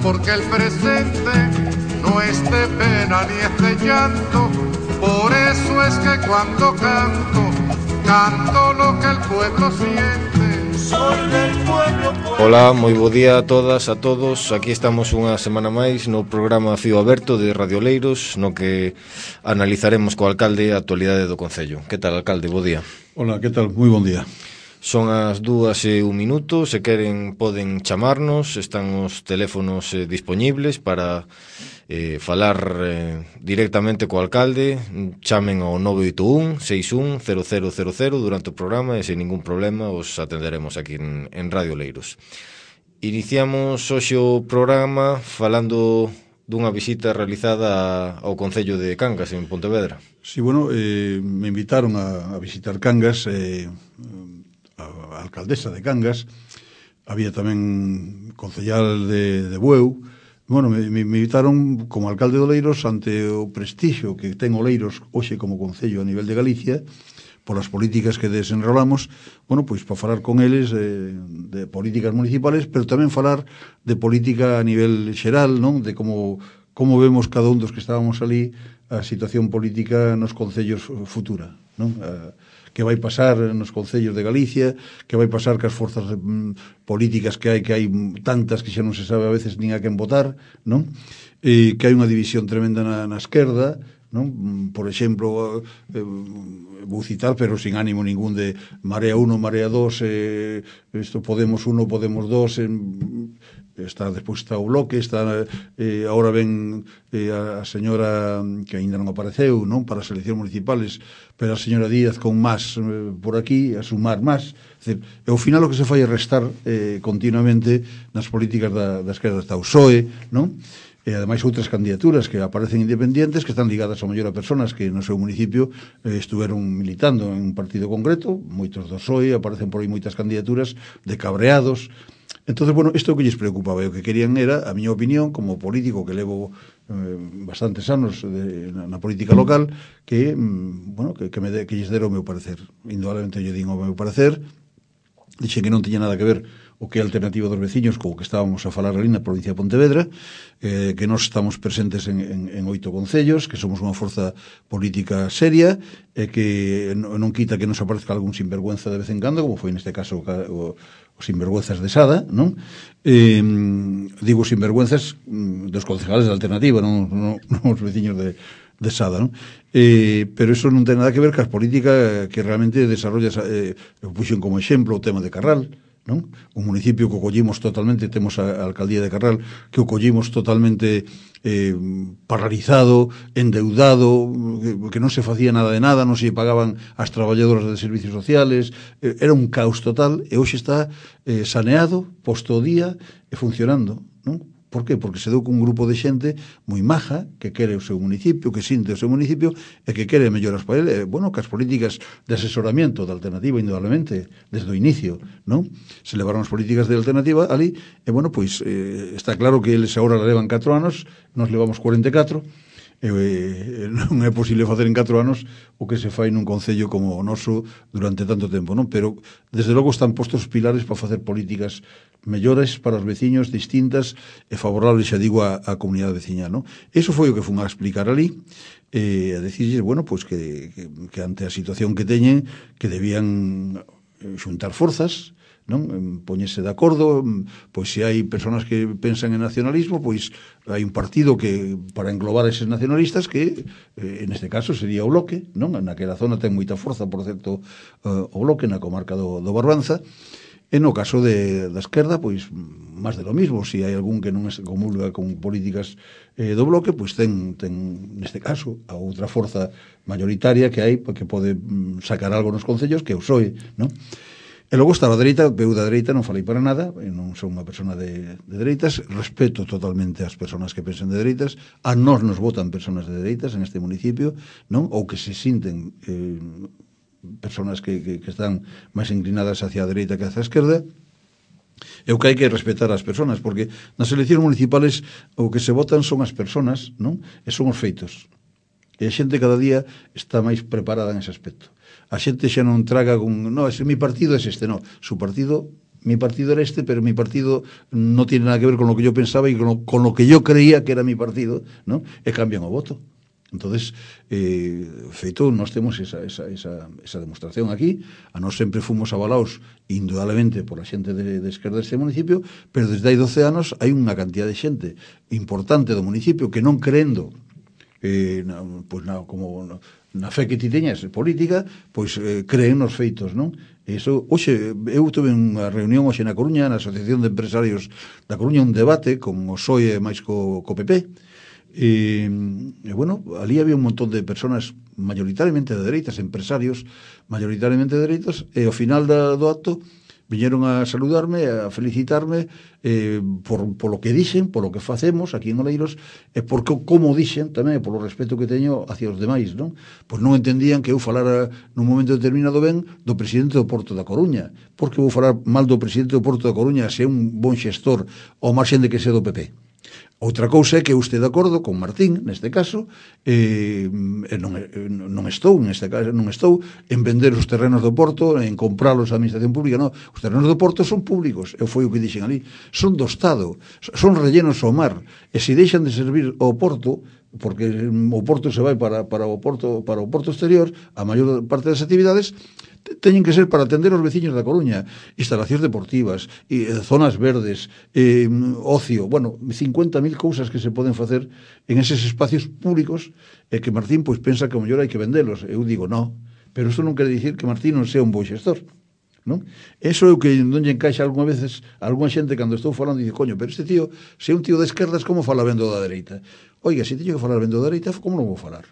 porque el presente no es de pena ni es de llanto. Por eso es que cuando canto, canto lo que el pueblo siente. Soy del pueblo. Ola, moi bo día a todas, a todos. Aquí estamos unha semana máis no programa Fío Aberto de Radio Leiros, no que analizaremos co alcalde a actualidade do Concello. Que tal, alcalde? Bo día. Hola, que tal? Moi bon día. Son as 2:01, se queren poden chamarnos, están os teléfonos dispoñibles para falar directamente co alcalde. Chamen ao 981 61 0000 durante o programa e sen ningún problema os atenderemos aquí en Radio Leiros. Iniciamos hoxe o programa falando dunha visita realizada ao Concello de Cangas en Pontevedra. Sí, bueno, me invitaron a visitar Cangas, a alcaldesa de Cangas, había tamén concellal de Bueu. Bueno, me invitaron como alcalde de Oleiros ante o prestixio que ten Oleiros hoxe como concello a nivel de Galicia por as políticas que desenrolamos, bueno, pois para falar con eles de políticas municipales, pero tamén falar de política a nivel xeral, non? De como vemos cada un dos que estábamos ali a situación política nos concellos futura, non? Que vai pasar nos concellos de Galicia, que vai pasar cas forzas políticas que hai tantas que xa non se sabe a veces nin a quen votar, non? Que hai unha división tremenda na esquerda, non? Por exemplo, vou citar, pero sin ánimo ningún, de Marea 1, Marea 2, isto Podemos 1, Podemos 2, despois está o Bloque, está agora ven a señora que aínda non apareceu, non, para as eleccións municipales, pero a señora Díaz con más por aquí, a sumar más. É dicir, ao final o que se fai é restar continuamente nas políticas da esquerda. Está o PSOE, non? E ademais outras candidaturas que aparecen independientes que están ligadas ao mellor a personas que no seu municipio estuveron militando en un partido concreto. Moitos do PSOE, aparecen por aí moitas candidaturas de cabreados. Entonces, bueno, isto que lles preocupaba, o que querían era, a miña opinión, como político que levo bastantes anos na política local, que, bueno, que lles dera o meu parecer. Indudablemente lle din o meu parecer, dixen que non tiña nada que ver o que é a alternativa dos veciños co que estábamos a falar ali na provincia de Pontevedra, que nós estamos presentes en 8 concellos, que somos unha forza política seria, e que non quita que nos aparezca algún sinvergüenza de vez en cando, como foi neste caso os sinvergüenzas de Sada, non? Digo sinvergüenzas dos concejales da alternativa, non os veciños de Sada, non? Pero eso non ten nada que ver cas políticas que realmente desarrollas. Puxen como exemplo o tema de Carral, non? Un municipio que o collimos totalmente, temos a alcaldía de Carral, que o collimos totalmente paralizado, endeudado, que non se facía nada de nada, non se pagaban as traballadoras de servicios sociales, era un caos total, e hoxe está saneado, posto o día e funcionando, non? Por qué? Porque se deu con un grupo de xente moi maja, que quere o seu municipio, que sinte o seu municipio e que quere melloras para ele. Bueno, que as políticas de asesoramento da alternativa, indudablemente, desde o inicio, non? Se levaron as políticas de alternativa ali, e bueno, pois está claro que eles agora levan 4 anos, nos levamos 44, non é posible facer en 4 anos o que se fai nun concello como o noso durante tanto tempo, non? Pero desde logo están postos os pilares para facer políticas mellores para os veciños, distintas e favorables, xa digo, a comunidade veciñal, non? Iso foi o que fun a explicar ali, a decirles, bueno, pois que ante a situación que teñen, que debían xuntar forzas, non? Poñerse de acordo, pois se hai persoas que pensan en nacionalismo, pois hai un partido que para englobar eses nacionalistas que neste caso sería o Bloque, non? Naquela zona ten moita forza, por certo, o Bloque na comarca do Barbanza. E no caso da esquerda, pois máis de lo mismo. Se hai algún que non se comulga con políticas do Bloque, pois ten neste caso a outra forza mayoritaria que hai, que pode sacar algo nos concellos, que é o PSOE, non? E logo está a dereita, eu da dereita non falei para nada, eu non son unha persona de dereitas, respeto totalmente as persoas que pensan de dereitas, a nós nos votan persoas de dereitas en este municipio, non? Ou que se sinten persoas que están máis inclinadas hacia a dereita que hacia a esquerda. E o que hai que respetar as persoas, porque nas eleccións municipales o que se votan son as persoas, non? E son os feitos. E a xente cada día está máis preparada en ese aspecto. A xente xa non traga con, no, mi partido é este, no, su partido mi partido era este, pero mi partido no tiene nada que ver con lo que yo pensaba y con lo que yo creía que era mi partido, ¿no? E cambian o voto. Entonces, feito, nós temos esa demostración aquí. A nós sempre fomos avalados indudablemente por a xente de esquerda deste municipio, pero desde hai 12 anos hai unha cantidad de xente importante do municipio que non creendo na fe que ti teñas política, pois creen nos feitos, non? Eso, hoxe, eu tuve unha reunión hoxe na Coruña, na Asociación de Empresarios da Coruña, un debate con o PSOE máis co PP. E bueno, ali había un montón de personas mayoritariamente de dereitas, empresarios mayoritariamente de dereitas, e ao final do acto viñeron a saludarme, a felicitarme por lo que dixen, por lo que facemos aquí en Oleiros, e por como dixen tamén, por o respeto que teño hacia os demais, non? Pois non entendían que eu falara nun momento determinado ben do presidente do Porto da Coruña, porque vou falar mal do presidente do Porto da Coruña se é un bon xestor ao marxen de que sea do PP. Outra cousa é que eu este de acordo con Martín, neste caso, non estou en vender os terrenos do Porto, en compralos á administración pública, non. Os terrenos do Porto son públicos, foi o que dixen ali, son do Estado, son rellenos ao mar, e se deixan de servir ao Porto, porque o Porto se vai para o Porto exterior, a maior parte das actividades teñen que ser para atender os veciños da Coruña, instalacións deportivas, zonas verdes, ocio, bueno, 50.000 cousas que se poden facer en eses espacios públicos, e que Martín pois pensa que ao mellor hai que vendelos. Eu digo, no, pero isto non quere dicir que Martín non sea un bo xestor, non? Eso é o que non lle encaixa algunha veces a algunha xente cando estou falando e dice, coño, pero este tío, se é un tío de esquerdas, como fala vendo da dereita? Oiga, se teño que falar vendo da dereita, como non vou falar?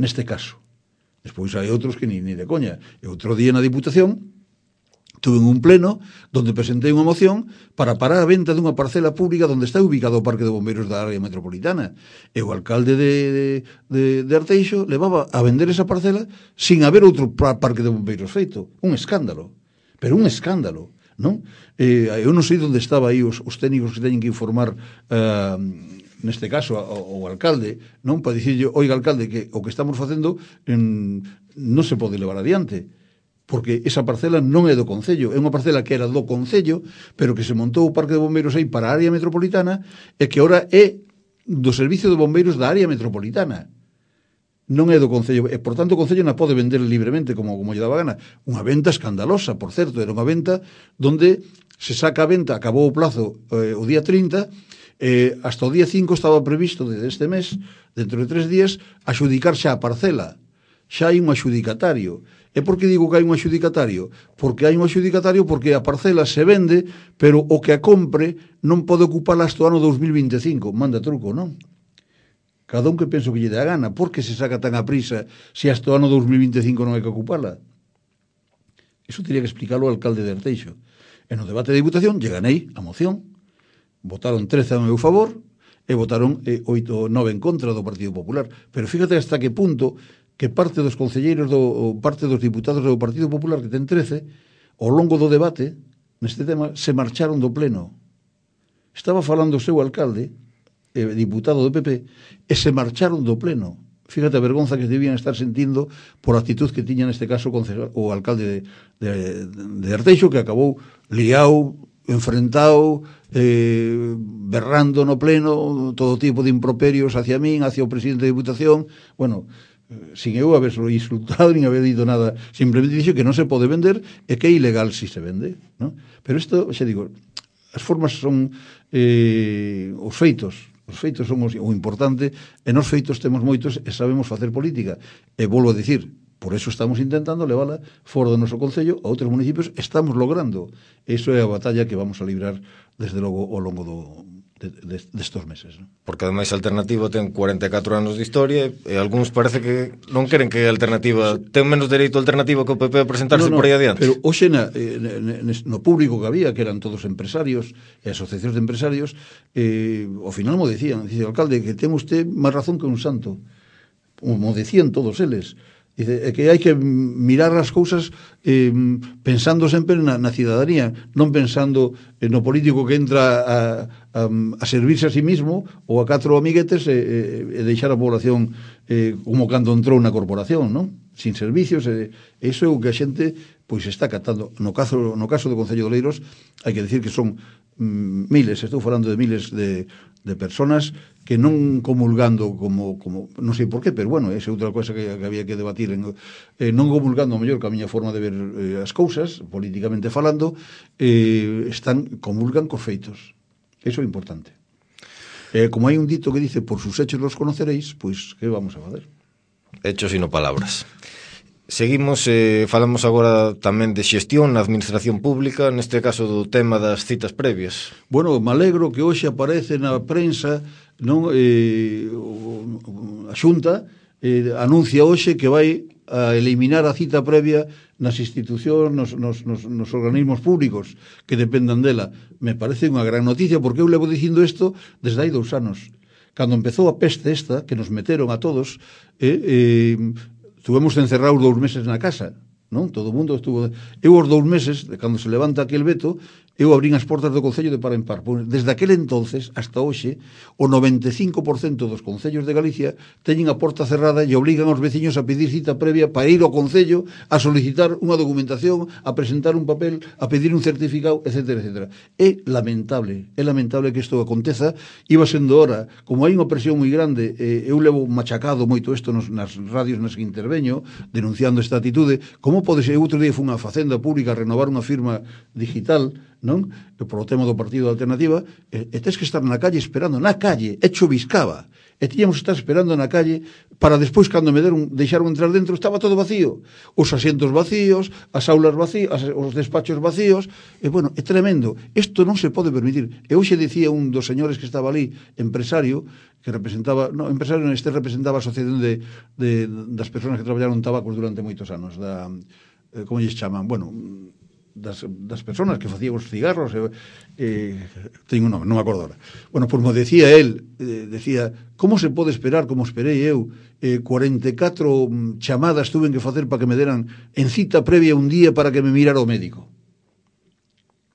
Neste caso. Despois hai outros que ni de coña. E outro día na Diputación tuve un pleno donde presentei unha moción para parar a venta dunha parcela pública onde está ubicado o Parque de Bombeiros da área metropolitana. E o alcalde de Arteixo levaba a vender esa parcela sin haber outro parque de bombeiros feito. Un escándalo. Pero un escándalo, non? Eu non sei onde estaba aí os técnicos que teñen que informar neste caso o alcalde, non, para dicirlle, oiga alcalde, que o que estamos facendo non se pode levar adiante, porque esa parcela non é do Concello, é unha parcela que era do Concello, pero que se montou o Parque de Bombeiros aí para a área metropolitana, e que agora é do Servicio de Bombeiros da área metropolitana. Non é do Concello, e por tanto o Concello non pode vender libremente como lle daba gana. Unha venta escandalosa, por certo, era unha venta donde se saca a venta, acabou o plazo o día 30, hasta o día 5 estaba previsto deste mes, dentro de 3 días, axudicar xa a parcela. Xa hai un axudicatario. E por que digo que hai un axudicatario? Porque hai un axudicatario porque a parcela se vende, pero o que a compre non pode ocupala hasta o ano 2025. Manda truco, non? Cada un que penso que lle dá gana. Por que se saca tan a prisa se hasta o ano 2025 non hai que ocupala? Iso teria que explicarlo o alcalde de Arteixo. E no debate de Diputación lle ganei a moción. Votaron 13 a meu favor e votaron 8 ou 9 en contra do Partido Popular. Pero fíjate hasta que punto que parte dos concelleiros parte dos diputados do Partido Popular, que ten 13, ao longo do debate neste tema, se marcharon do pleno. Estaba falando o seu alcalde, diputado do PP, e se marcharon do pleno. Fíjate a vergonza que debían estar sentindo por a actitud que tiña neste caso o alcalde de Arteixo, que acabou liado, enfrentado, berrando no pleno todo tipo de improperios hacia min, hacia o presidente da Diputación. Bueno, sin eu haberselo insultado nin haber dito nada, simplemente dixo que non se pode vender e que é ilegal si se vende, non? Pero isto, xa digo, as formas son os feitos son o importante, e nos feitos temos moitos e sabemos facer política, e volvo a dicir, por eso estamos intentando levala fora do noso concello a outros municipios, estamos logrando. Iso é a batalla que vamos a librar desde logo ao longo destos meses, ¿no? Porque ademais a Alternativa ten 44 anos de historia e algúns parece que non queren que a Alternativa ten menos dereito a Alternativa que o PP a presentarse por aí adiante. Pero hoxe no público que había, que eran todos empresarios e asociacións de empresarios, ao final mo decían, dice o alcalde, que ten usted máis razón que un santo. Mo decían todos eles. Dice, que hai que mirar as cousas pensando sempre na cidadanía, non pensando no político que entra a servirse a sí mismo ou a 4 amiguetes e deixar a población como cando entrou na corporación, non? Sin servicios. Iso é o que a xente pois está catando. No caso do Concello de Oleiros, hai que decir que son miles, estou falando de miles de personas que non comulgando como non sei por qué, pero bueno, esa é outra cosa que había que debatir non comulgando ao mellor que a miña forma de ver as cousas, políticamente falando, comulgan cos feitos. Eso é importante. Como hai un dito que dice por sus hechos los conoceréis, pois que vamos a fazer? Hechos e non palabras. Seguimos, falamos agora tamén de xestión na administración pública, neste caso do tema das citas previas. Bueno, me alegro que hoxe aparece na prensa, non, a Xunta anuncia hoxe que vai a eliminar a cita previa nas institucións, nos organismos públicos que dependan dela. Me parece unha gran noticia, porque eu levo dicindo isto desde hai 2 anos. Cando empezou a peste esta, que nos meteron a todos, tuvemos encerrados 2 meses na casa, non? Todo o mundo estuvo... Eu os 2 meses, cando se levanta aquel veto, eu abrín as portas do Concello de par en par. Desde aquel entonces hasta hoxe, o 95% dos concellos de Galicia teñen a porta cerrada e obligan aos veciños a pedir cita previa para ir ao Concello a solicitar unha documentación, a presentar un papel, a pedir un certificado, etc. etc. É lamentable que isto aconteza. Iba sendo hora, como hai unha presión moi grande, eu levo machacado moito isto nas radios nas que interveño, denunciando esta atitude. Como pode ser? Outro día foi unha facenda pública a renovar unha firma digital, non? Por o tema do Partido da Alternativa, e tens que estar na calle esperando, na calle, hecho biscaba, e tiñamos que estar esperando na calle para despois, cando me deixaron entrar dentro, estaba todo vacío, os asientos vacíos, as aulas vacías, os despachos vacíos, e bueno, é tremendo. Isto non se pode permitir. E hoxe dicía un dos señores que estaba ali, empresario, que representaba, no, empresario neste representaba a asociación das persoas que traballaron tabacos durante moitos anos, como lles chaman, bueno, das persoas que facían os cigarros, teño un nome, non me acordo ahora. Bueno, pois mo decía él, decía, como se pode esperar, como esperei eu, 44 chamadas tuven que facer para que me deran en cita previa un día para que me mirara o médico.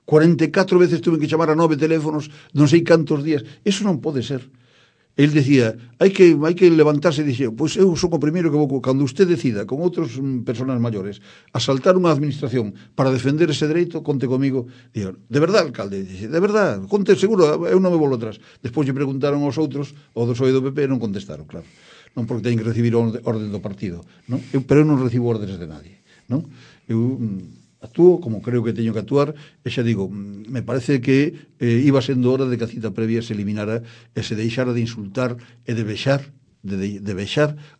44 veces tuven que chamar a 9 teléfonos, non sei cantos días. Eso non pode ser. El decía, hai que levantarse e dixer, pois eu son o primeiro que vou, cando usted decida con outros persoas maiores asaltar unha administración para defender ese dereito, conte comigo. Digo, de verdad, alcalde? Dixe, de verdad, conte seguro, eu non me volvo atrás. Despois lle preguntaron aos outros, o do PSOE do PP, non contestaron, claro. Non porque teñen que recibir orden do partido, non? Pero eu non recibo órdenes de nadie, non? Eu actúo como creo que teño que actuar, e xa digo, me parece que iba sendo hora de que a cita previa se eliminara e se deixara de insultar e de vexar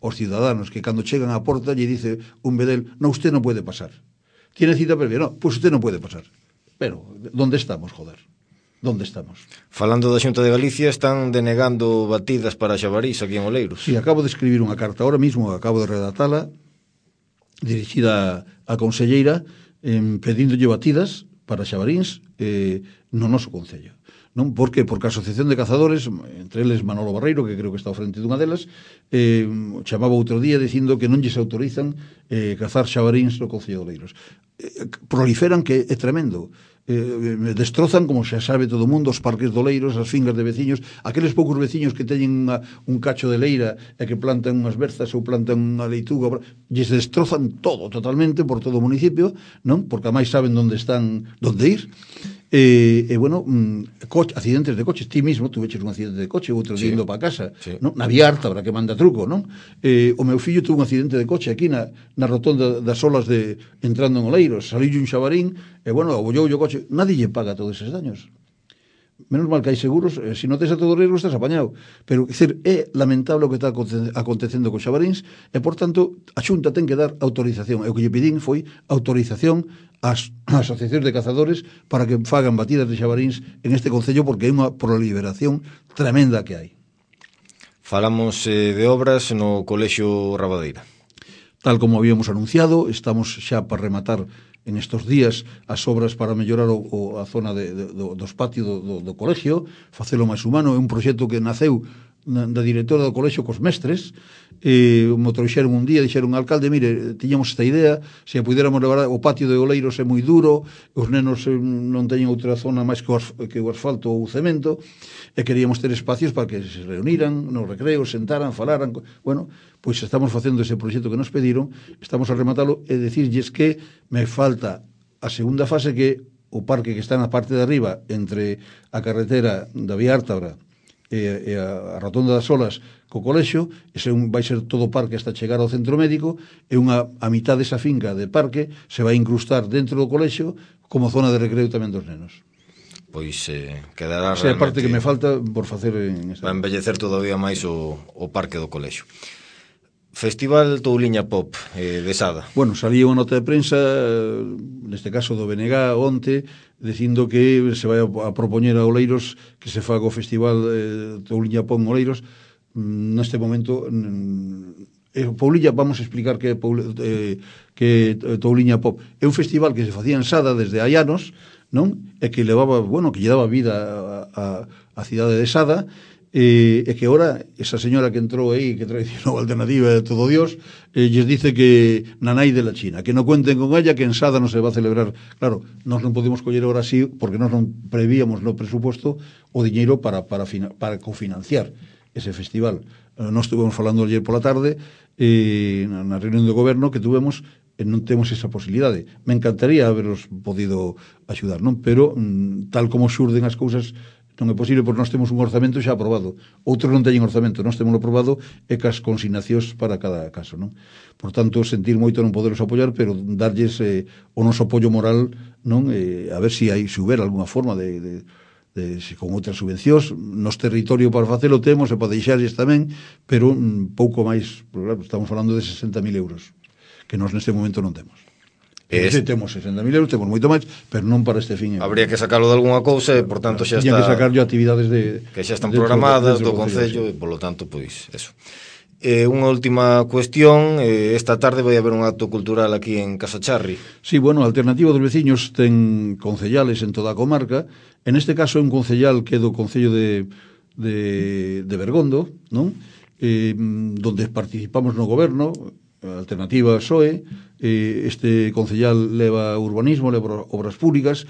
aos ciudadanos que cando chegan á porta lle dice un bedel, no, usted non pode pasar. Tiene cita previa? No, pues usted non pode pasar. Pero, ¿dónde estamos, joder? ¿Dónde estamos? Falando da Xunta de Galicia, están denegando batidas para Xabarís aquí en Oleiros. Sí, acabo de escribir unha carta ahora mismo, acabo de redactala, dirixida á conselleira, pedíndolle batidas para Xabaríns no noso Concello. Non? Por que? Porque a Asociación de Cazadores, entre eles Manolo Barreiro, que creo que está ao frente dunha delas, chamaba outro día dicindo que non lles autorizan cazar xabaríns no Concello de Oleiros. Proliferan, que é tremendo. Destrozan, como xa sabe todo o mundo, os parques de Oleiros, as fingas de veciños, aqueles poucos veciños que teñen un cacho de leira e que plantan unhas berzas ou plantan unha leituga, lles destrozan todo, totalmente, por todo o municipio, non? Porque a máis saben onde ir. Bueno, accidentes de coches. Ti mismo tuveches un accidente de coche, outro día indo para casa, sí. Non? Na vía harta, para que manda truco, non? O meu fillo tuvo un accidente de coche aquí na rotonda das olas entrando en Oleiros, saliu un xabarín e, bueno, abollou o coche. Nadie lle paga todos eses daños. Menos mal que hai seguros, se non tes a todo o riesgo estás apañado. Pero, é lamentable o que está acontecendo con xabaríns e, por tanto, a Xunta ten que dar autorización. E o que lle pedín foi autorización ás asociacións de cazadores para que fagan batidas de xabaríns en este Concello, porque hai unha proliferación tremenda que hai. Falamos de obras no Colexio Rabadeira. Tal como habíamos anunciado, estamos xa para rematar en estos días as obras para mellorar a zona dos patios do colegio, facelo máis humano. É un proxecto que naceu da directora do colexio cos mestres, me trouxeron un día, dixeron, alcalde, mire, tiñamos esta idea, se a puidéramos levar, o patio de Oleiros é moi duro, os nenos non teñen outra zona máis que o asfalto ou o cemento, e queríamos ter espacios para que se reuniran nos recreos, sentaran, falaran. Bueno, pois estamos facendo ese proxecto que nos pediron, estamos a rematalo e decirlles que me falta a segunda fase, que o parque que está na parte de arriba entre a carretera da Vía Ártabra e a Rotonda das Olas co colexio, ese vai ser todo o parque hasta chegar ao centro médico, e a mitad desa finca de parque se vai incrustar dentro do colexio como zona de recreo tamén dos nenos. Pois quedará realmente... Esa é a parte que me realmente falta por facer en esta... Vai embellecer todavía máis o parque do colexio. Festival Touliña Pop de Sada. Bueno, salía unha nota de prensa, neste caso do BNG, onte, dicindo que se vai a propoñer a Oleiros que se faga o Festival Touliña Pop en Oleiros. Neste momento, Pouliña, vamos a explicar que Touliña Pop é un festival que se facía en Sada desde hai anos, non? E que levaba, bueno, que lle daba vida a cidade de Sada, e que ahora esa señora que entrou aí, que traicionou a Alternativa de todo Dios, lles dice que nanai de la China, que non cuenten con ella, que en Sada non se va a celebrar. Claro, nós non podemos coller ahora así, porque nós non prevíamos no presupuesto o diñeiro para cofinanciar ese festival. Nós estuvemos falando ayer pola tarde na reunión do goberno que tuvemos, non temos esa posibilidade. Me encantaría haberos podido axudar, non? Pero tal como xurden as cousas, non é posible, porque nós temos un orzamento xa aprobado. Outros non teñen orzamento, nós temos aprobado e cas consignacións para cada caso, non? Por tanto, sentir moito non poderos apoiar, pero darlles o noso apoio moral, non? A ver se houber alguna forma de con outras subvencións. Nos territorio para facelo temos e para deixarlles tamén, pero pouco máis, claro, estamos falando de 60.000 euros, que nós neste momento non temos. Temos 60.000 euros, temos moito máis, pero non para este fin. Habría que sacarlo de alguna cousa e, por tanto, xa está... Tiña que sacarlo actividades que xa están programadas do Concello, e, polo tanto, pois, eso. Unha última cuestión, esta tarde vai haber un acto cultural aquí en Casacharri. Sí, bueno, a Alternativa dos Veciños ten concellales en toda a comarca. En este caso é un concellal que é do Concello de Bergondo, non? Donde participamos no goberno, a Alternativa PSOE, este concellal leva urbanismo, leva obras públicas,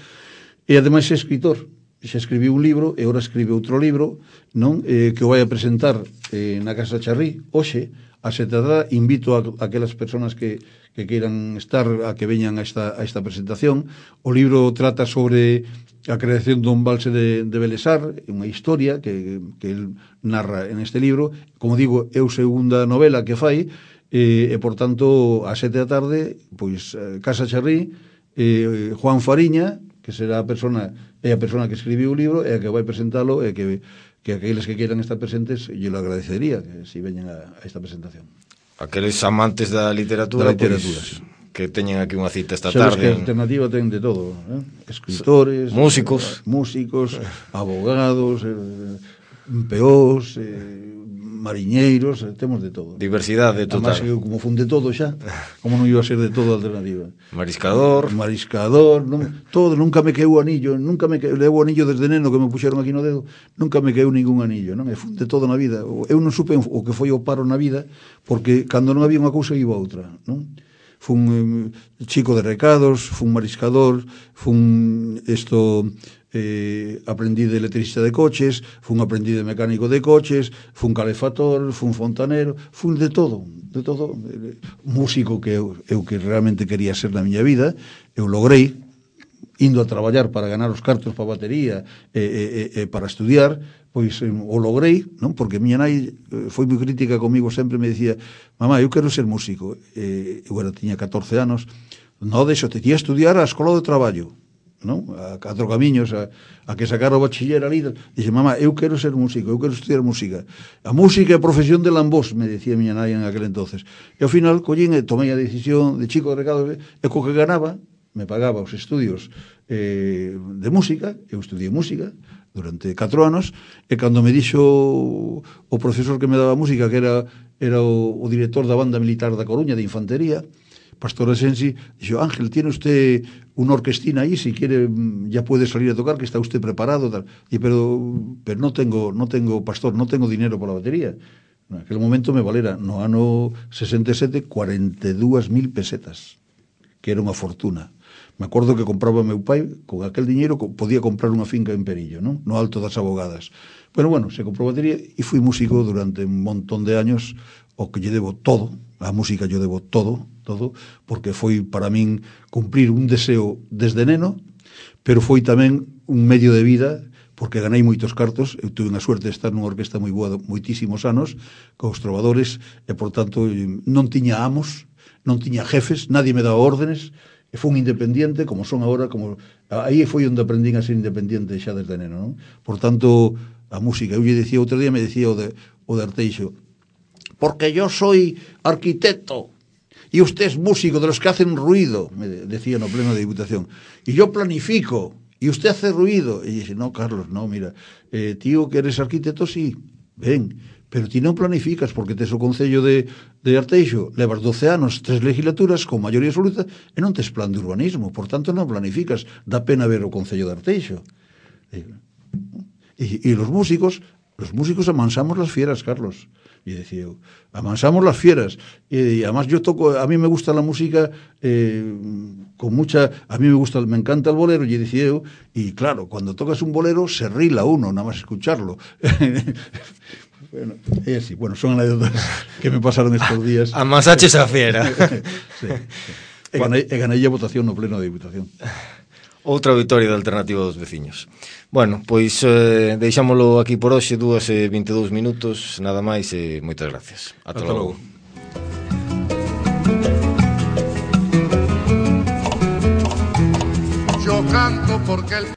e ademais é escritor. Xa escribiu un libro e ora escribe outro libro, non? Que o vai a presentar na Casa Charrí hoxe a 7:00. Invito a aquelas persoas que queiran estar a que veñan a esta presentación. O libro trata sobre a creación dun embalse de Belesar, unha historia que el narra en este libro. Como digo, é a segunda novela que fai, e por tanto a 7:00, pois Casa Charrí, Juan Fariña, que será a persona que escribiu o libro e a que vai presentalo, e que aqueles que queiran estar presentes, yo lo agradecería que si veñen a esta presentación. Aqueles amantes da literatura, pois, que teñen aquí unha cita esta tarde. Sabes que a Alternativa ten de todo, escritores, músicos, abogados, peós, mariñeiros, temos de todo. Diversidade total. Además, como fun de todo xa, como non iba a ser de todo a Alternativa. Mariscador, todo, nunca me queu o anillo, levo o anillo desde neno que me puxeron aquí no dedo, nunca me queu ningún anillo, non? E fun de todo na vida. Eu non supe o que foi o paro na vida, porque cando non había unha cousa iba a outra, non? Fun chico de recados, fun mariscador, fun aprendí de electricista de coches, fun aprendí de mecánico de coches, fun calefator, fun fontanero, fun de todo, músico que eu que realmente quería ser na miña vida. Eu logrei, indo a traballar para ganar os cartos para a batería e para estudiar, pois o logrei, non? Porque miña nai foi moi crítica comigo, sempre me dicía: mamá, eu quero ser músico. Eu tiña 14 anos, non deixo, te tía a estudiar a escola de traballo, non? A 4 camiños, a que sacar o bachiller ali. Dixe: mamá, eu quero ser músico, eu quero estudiar música. A música é a profesión de lambós, me decía miña nai en aquel entonces. E ao final collín e tomei a decisión de chico de recado, e co que ganaba me pagaba os estudios de música. Eu estudiei música durante 4 anos, e cando me dixo o profesor que me daba música, que era o director da banda militar da Coruña de infantería, Pastor Asensi, dixo, Ángel, tiene usted una orquestina ahí, si quiere ya puede salir a tocar, que está usted preparado, tal. Y pero no tengo, Pastor, no tengo dinero para a batería. En aquel momento me valera, no ano 67, 42.000 pesetas, que era unha fortuna. Me acordo que compraba meu pai, con aquel diñeiro podía comprar unha finca en Perillo, non? No Alto das Abogadas. Pero bueno, se comprou batería e fui músico durante un montón de años, o que lle debo todo, a música lle debo todo, porque foi para min cumprir un deseo desde neno, pero foi tamén un medio de vida, porque ganei moitos cartos, eu tuve a suerte de estar nunha orquesta moi boa moitísimos anos, cos trovadores, e por tanto non tiña amos, non tiña jefes, nadie me daba órdenes, e fui un independiente, como son agora, aí foi onde aprendín a ser independiente xa desde neno, non? Por tanto, a música, eu lle dicía, outro día me dicía o de Arteixo, porque yo soy arquitecto, y usted es músico de los que hacen ruido, me decía no pleno de Diputación, y yo planifico, y usted hace ruido. Y dice, no, Carlos, no, mira, tío, que eres arquitecto, sí, ven, pero ti non planificas, porque tes o Concello de Arteixo, levas 12 anos, 3 legislaturas, con maioría absoluta, e non tes plan de urbanismo, por tanto non planificas, dá pena ver o Concello de Arteixo. E los músicos amansamos las fieras, Carlos. Y decía, amansamos las fieras. Y además yo toco, a mí me gusta la música con mucha, a mí me encanta el bolero, y decía yo, y claro, cuando tocas un bolero se rila uno, nada más escucharlo. Bueno, es así, bueno, son anécdotas que me pasaron estos días. Amasaches a fiera. Sí. E ganei a votación no pleno de Diputación. Outra vitoria da Alternativa dos Veciños. Bueno, pois deixámolo aquí por hoxe, 2:22 minutos, nada máis e moitas gracias. Ata logo. Yo canto porque el